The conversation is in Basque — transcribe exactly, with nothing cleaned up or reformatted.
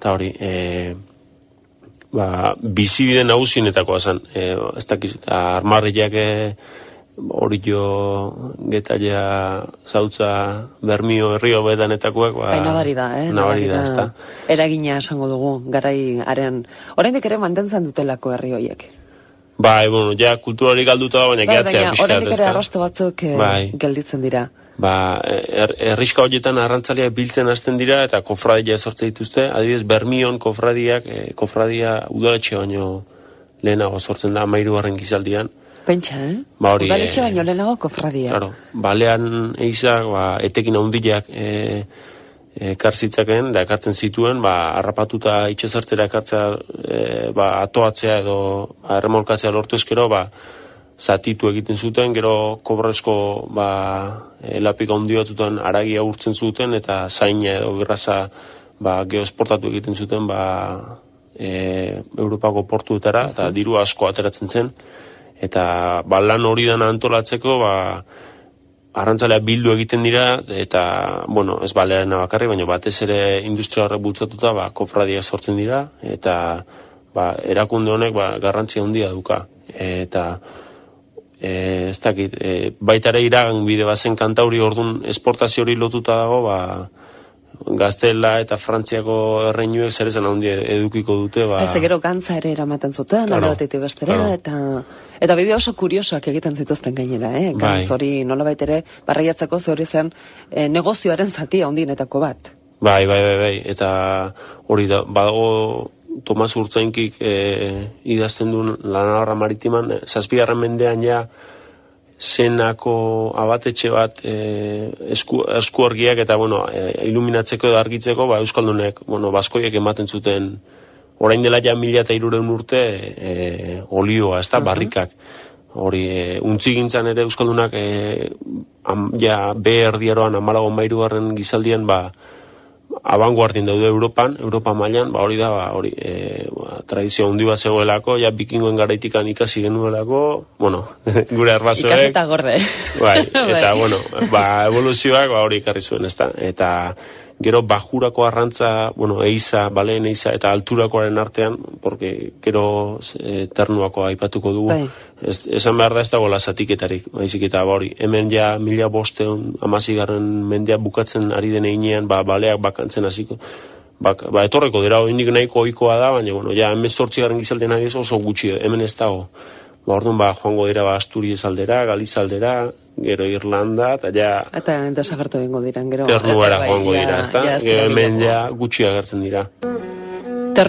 eta hori, e, ba, bizibide nagusienetakoa zen, e, ez dakiz, armarriak e, hori jo getaia zautza Bermio herrio bedanetakoak ba, bai, nabari da, eh? Nabari da, ez da. Eragina esango dugu, garai haren, oraindik ere mantentzen dutelako herri horiek. Bai, bueno, ja kulturari galduta da, baina gehatzea pixkat, ez da. Oraindik ere arrasto batzuk eh, bai. gelditzen dira. Ba, er, herriska horietan arrantzaleak biltzen hasten dira eta kofradia sortzen dituzte. Adibidez, Bermion kofradiak, eh, kofradia udaletxe baino lehenago sortzen da, hamahirugarren gizaldian. Pentsa, eh? Ba, hori, udaletxe baino lehenago kofradia. Claro, balean eizak, ba, etekin handiak eh, ekartzitzaken, da ekartzen zituen, ba, harrapatuta itxezartzera ekartzea, e, ba, atoatzea edo erremolkatzea lortu eskero, ba, zatitu egiten zuten, gero kobrezko, ba, lapika handi batzutan aragia urtzen zuten, eta zaina edo gerraza, ba, geoesportatu egiten zuten, ba, e, Europako portuetara, eta diru asko ateratzen zen, eta, ba, lan hori dana antolatzeko, ba, arrantzaleak bildu egiten dira, eta, bueno, ez balearena bakarri, baina batez ere industria horrek bultzatuta, ba, kofradia sortzen dira, eta, ba, erakunde honek, ba, garrantzia handia duka. Eta, e, ez dakit, e, baita ere iragan bide bazen kantauri orduan esportazio hori lotuta dago, ba, Gaztela eta Frantziako erreinuek zer esan handi edukiko dute. Ba... Ez, gero gantza ere eramaten zuten, claro, alde batetik bestera, claro. eta, eta bideo oso kuriosoak egiten zituzten gainera, eh? Gantz bai. Hori nolabait ere barraiatzeko ze hori zen eh, negozioaren zatia handienetako bat. Bai, bai, bai, bai, eta hori da, badago Tomas Urtzainkik eh, idazten duen Lanabarra Maritiman, zazpigarren mendean ja zenako abatetxe bat e, esku, esku argiak eta bueno, e, iluminatzeko edo argitzeko ba, Euskaldunek, bueno, baskoiek ematen zuten orain dela ja mila eta hirurehun urte e, olioa, ez da, uh-huh. barrikak. Hori, e, untzi gintzan ere Euskaldunak e, am, ja be erdiaroan amalago mairugarren gizaldian ba, abanguardien daude Europan, Europa mailan, ba hori da, ba, hori, e, ba, tradizio handi bat zegoelako, ja bikingoen garaitikan ikasi genuelako, bueno, gure arbasoek. Ikaseta gorde. Bai, eta, bueno, ba, evoluzioak, ba, hori ikarri zuen, ezta, eta gero bajurako arrantza, bueno, eiza, baleen eiza, eta alturakoaren artean, porque gero e, ternuako aipatuko dugu, bai. ez, esan behar da ez dago lasatiketarik, baizik eta ba, hori, hemen ja mila bosteun amazigarren mendea bukatzen ari den einean, ba, baleak bakantzen hasiko, ba, ba, etorreko dira, indik nahiko ohikoa da, baina, bueno, ja, hemen zortzigarren gizalden ari oso gutxi, hemen ez dago. Ba, orduan, ba, joango dira, ba, Asturias aldera, Galiza aldera, gero Irlanda, eta ja... Eta desagertu egingo diran, gero... Ternuara joango dira, ez da? Gero hemen ja gutxi agertzen dira.